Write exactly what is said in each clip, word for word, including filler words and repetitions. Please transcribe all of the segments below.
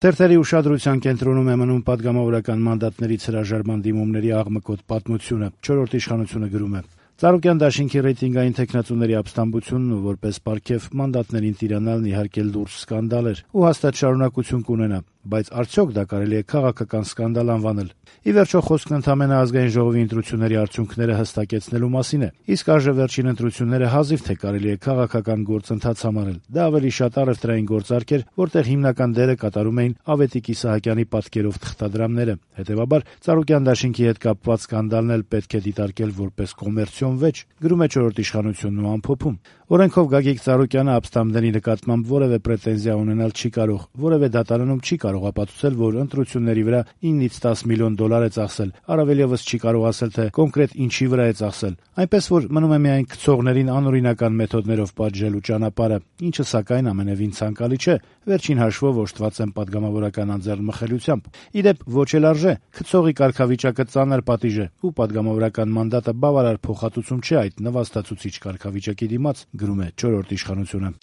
Թերթերի ուշադրության կենտրոնում է մնում պատգամավորական մանդատներից հրաժարման դիմումների աղմկոտ պատմությունը։ Չորրորդ իշխանությունը գրում է. Ծառուկյան դաշինքի ռեյտինգային թեկնածուների ապստամբությունն ու որպես պարգև մանդատներին տիրանալն իհարկե լուրջ սկանդալ էր ու հաստատ շարունակություն կունենա, բայց արդյոք դա կարելի է քաղաքական սկանդալ անվանել։ Ի վերջո խոսքն ընդամենը ազգային ժողովի ընտրությունների արդյունքները հստակեցնելու մասին է, իսկ այժմ վերջին ընտրությունները հազիվ թե կարելի է քաղաքական գործընթաց համարել։ Դա ավելի շատ առևտրային գործարք էր, որտեղ հիմնական դերը կատարում էին Ավետիք Իսահակյանի պատկերով թղթադրամները։ Հետևաբար Ծառուկյան դաշինքի հետ կապված սկանդալն էլ պետք է դիտարկել որպես կոմերցիոն վեճ, գրում է Չորրորդ իշխանությունն ու ամփոփում։ Օրենքով Գագիկ Ծառուկյանը ապստամբների նկատմամբ որևէ պրետենզիա ունենալ չի կարող, որևէ դատարանում չի կարող ապացուցել, որ ընտրությունների վրա իննից տաս միլիոն դոլար է ծախսել, առավել ևս չի կարող ասել, թե կոնկրետ ինչի վրա է ծախսել, այնպես որ մնում է միայն գցողներին անօրինական մեթոդներով պատժելու ճանապարհը, ինչը սակայն ամենևին ցանկալի չէ, վերջին հաշվով օժտված են պատգամավորական անձեռնմխելիությամբ։ Իդեպ ոչ էլ արժե, գցողի կարգավիճակը ծանր պատիժ է, ու պատգամավորական մանդատը բավարար փոխհատուցում չէ այդ նվաստացուցիչ կարգավիճակի դիմաց, գրում է Չորրորդ իշխանությունը։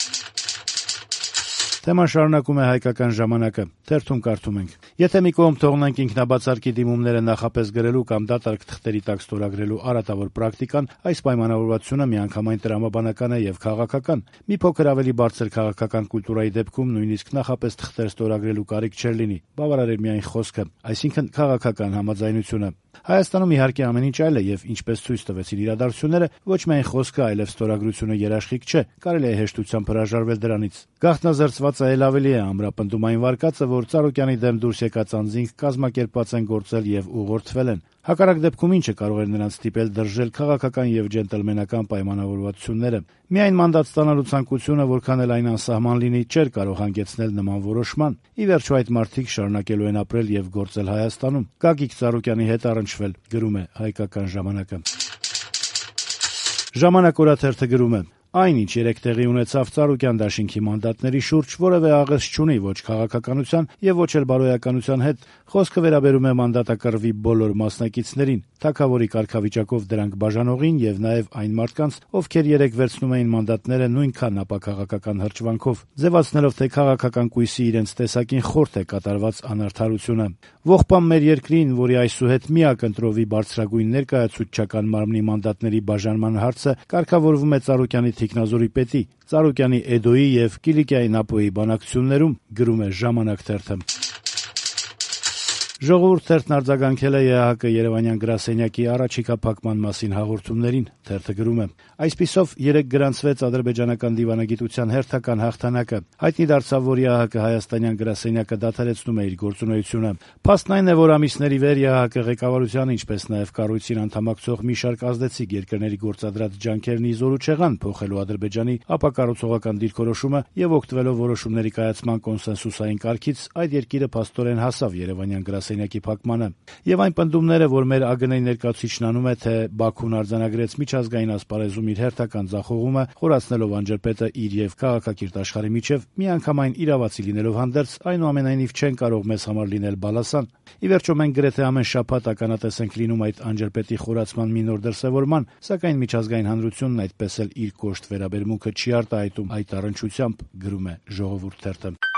Թեման շարունակում է Հայկական ժամանակը։ Թերթում կարդում ենք. Եթե մի կողմ թողնենք ինքնաբացարկի դիմումները նախապես գրելու կամ դատարկ թղթերի տակ ստորագրելու արատավոր պրակտիկան, այս պայմանավորվածությունը միանգամայն տրամաբանական է եւ քաղաքական։ Մի փոքր ավելի բարձր քաղաքական կուլտուրայի դեպքում նույնիսկ նախապես թղթեր ստորագրելու կարիք չէր լինի, բավարար էր միայն խոսքը, այսինքն քաղաքական համաձայնությունը։ Հայաստանում իհարկե ամեն ինչ այլ է եւ ինչպես ցույց տվեցին իրադարձությունները, ոչ միայն խոսքը, այլև ստորագրությունը երաշխիք չէ, կարելի է հեշտությամբ հրաժարվել դրանից։ Գաղտնազերծվածը էլ ավելի է, ամրապնդում այն վարկածը, որ Ծառուկյանի դեմ դուրս եկած անձինք կազմակերպված են գործել եւ ուղղորդվել են։ Հակառակ դեպքում ինչը կարող էր նրանց ստիպել դրժել քաղաքական եւ ջենտլմենական պայմանավորվածությունները։ Միայն մանդատ ստանալու ցանկությունը, որքան էլ այն անսահման լինի, չէր կարող հանգեցնել նման որոշման։ Ի վերջո այդ մարդիկ շարունակելու են ապրել եւ գործել Հայաստանում։ Գագիկ Ծառուկյանի հետ առնչվել, գրում է Հայկական ժամանակը։ Ժամանակ օրաթերթը գրում է. Այն, ինչ երեկ տեղի ունեցավ Ծառուկյան դաշինքի մանդատների շուրջ, որևէ աղերս չունի ոչ քաղաքականության եւ ոչ էլ բարոյականության հետ։ Խոսքը վերաբերում է մանդատակռվի բոլոր մասնակիցներին, թագավորի կարգավիճակով դրանք բաժանողին եւ նաեւ այն մարդկանց, ովքեր երեկ վերցնում էին մանդատները նույնքան ապաքաղաքական հրճվանքով, ձևացնելով, թե քաղաքական կույսի իրենց տեսակին խորթ է կատարված անարդարությունը։ Ողբամ մեր երկրին, որի այսուհետ միակ ընտրովի բարձրագույն ներկայացուցչական մարմնի մանդատների բաժանման հարցը կարգավորվում է Ծառուկյանի թիկնազորի պետի, Ծառուկյանի Էդոյի եւ Կիլիկիայի Նապոյի բանակցություններում, գրում է Ժամանակ թերթը։ Ժողովուրդ թերթն արձագանքել է ԵԱՀԿ Երևանյան գրասենյակի առաջիկա փակման մասին հաղորդումներին։ Թերթը գրում է. Այսպիսով երեկ գրանցվեց ադրբեջանական դիվանագիտության հերթական հաղթանակը։ Հայտնի դարձավ, որ ԵԱՀԿ Հայաստանյան գրասենյակը դադարեցնում է իր գործունեությունը։ Փաստն այն է, որ ամիսների վեր ԵԱՀԿ ղեկավարության, ինչպես նաեւ կառույցին անդամակցող մի շարք ազդեցիկ երկրների գործադրած ջանքերն ի զորու չեղան փոխելու Ադրբեջանի ապակառուցողական դիրքորոշումը եւ օգտվելով որոշումների կայացման կոնսենսուսային կարգից, այդ երկիրը փաստորեն հասավ Երևանյան գրասենյակի փակմանը։ Եվ այն պնդումները, որ մեր ԱԳՆ-ի ներկայացուցիչն անում է, թե Բաքուն արձանագրեց միջազգային ասպարեզում իր հերթական ձախողումը, խորացնելով անջրպետը իր եւ քաղաքակիրթ աշխարհի միջև, միանգամայն իրավացի լինելով հանդերձ, այնուամենայնիվ չեն կարող մեզ համար լինել բալասան։ Ի վերջո մենք գրեթե ամեն շաբաթ ականատես ենք լինում այդ անջրպետի խորացման մի նոր դրսևորման, սակայն միջազգային հանրությունն այդպես էլ իր կոշտ վերաբերմունքը չի արտահայտում այդ առնչությամբ, գրում է Ժողովուրդ թերթը։